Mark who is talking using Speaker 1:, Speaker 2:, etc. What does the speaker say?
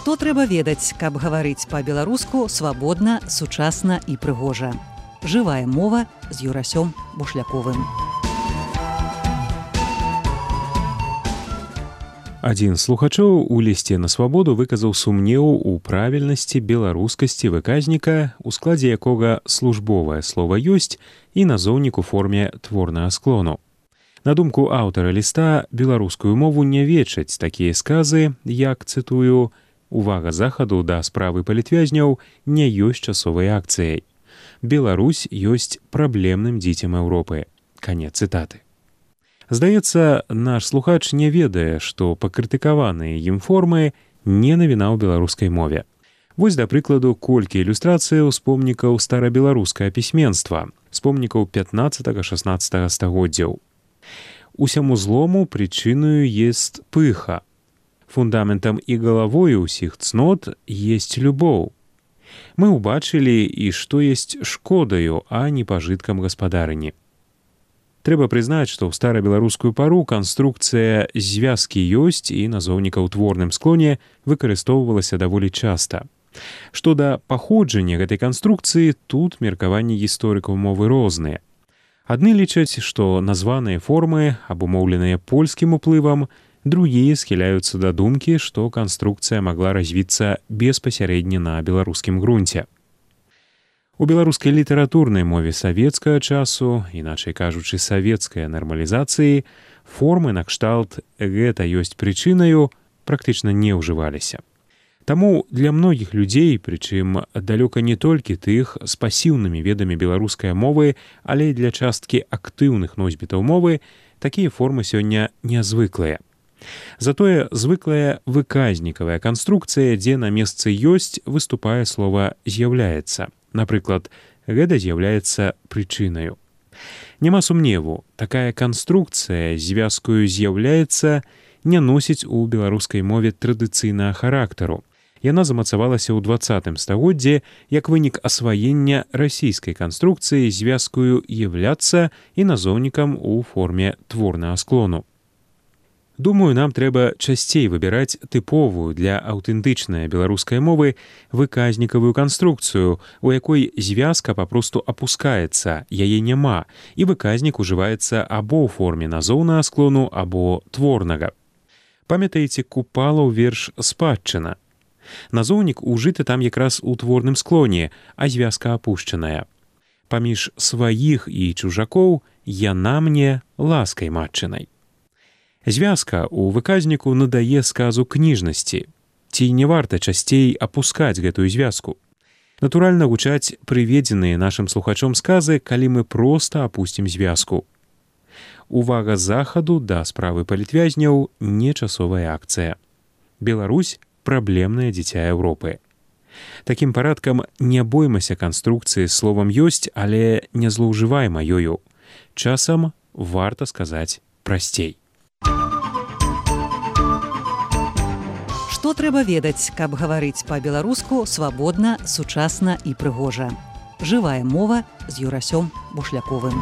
Speaker 1: Што трэба ведаць, каб гаварыць па-беларуску свабодна, сучасна і прыгожа. Жывая мова з Юрасём Бушляковым.
Speaker 2: Адзін з слухачоў у лісце на свабоду выказаў сумнеў у правільнасці беларускасці выказніка, у складзе якога службовае слова ёсць і назоўнік у форме творнага склону. На думку аўтара ліста, беларускую мову не вечаць такія сказы, як, цытую, «Увага захаду да справы палітвязняў не ёсць часовай акцыяй. Беларусь ёсць праблемным дзіцем Еўропы». Канец цытаты. Здаецца, наш слухач не ведае, што пакрытыкаваныя ім формы не навіна ў беларускай мове. Вось, да прыкладу, колькі ілюстрацыяў з помнікаў старабеларускага пісьменства, з помнікаў 15-16 стагоддзяў. Усяму злому прычыною есть пыха. Фундаментам і галавою ўсіх цнот есть любоў. Мы ўбачылі, і што есть шкодаю, а не пажыткам гаспадарыні. Трэба прызнаць, што ў старабеларускую пару канструкцыя звязкі ёсць і назоўніка ў творным склоне выкарыстоўвалася даволі часта. Што да паходжання гэтай канструкцыі, тут меркаванні гісторыкаў мовы розныя. Адны лічаць, што названыя формы абумоўленыя польскім уплывам, другія схіляюцца да думкі, што канструкцыя магла развіцца беспасярэдне на беларускім грунце. У беларускай літаратурнай мове савецкага часу, іначай кажучы, савецкай нармалізацыі, формы накшталт «гэта ёсць прычынаю» практычна не ўжываліся. Таму для многіх людзей, прычым далёка не толькі тых з пасіўнымі ведамі беларускай мовы, але і для часткі актыўных носьбітаў мовы, такія формы сёння нязвыклыя. Затое звыклая выказнікавая канструкцыя, дзе на месцы ёсць, выступае слова «з'яўляецца». Напрыклад, гэта з'яўляецца прычынаю. Няма сумневу, такая канструкцыя звязкаю «з'яўляецца» не носіць у беларускай мове традыцыйнага характару. Яна замацавалася ў 20 стагоддзі як вынік асваення расійскай канструкцыі звязкаю «являцца» і назоўнікам у форме творнага склону. Думаю, нам трэба часцей выбіраць тыповую для аўтэнтычнай беларускай мовы выказнікавую канструкцыю, у якой звязка папросту апускаецца, яе няма, і выказнік ужываецца або ў форме назоўнага склону, або творнага. Памятаеце Купалаў верш «Спадчына»? Назоўнік ужыты там якраз у творным склоне, а звязка апушчаная. Паміж сваіх і чужакоў яна мне ласкай матчынай. Звязка ў выказніку надае сказу кніжнасці. Ці не варта часцей апускаць гэтую звязку? Натуральна гучаць прыведзеныя нашым слухачом сказы, калі мы проста апусцім звязку. Увага захаду да справы палітвязняў не часовая акцыя. Беларусь – праблемнае дзіця Еўропы. Такім парадкам не боймася канструкцыі з словам ёсць, але не злоўжывайма ёю. Часам варта сказаць прасцей.
Speaker 1: Што трэба ведаць, каб гаварыць па-беларуску свабодна, сучасна і прыгожа. Жывая мова з Юрасём Бушляковым.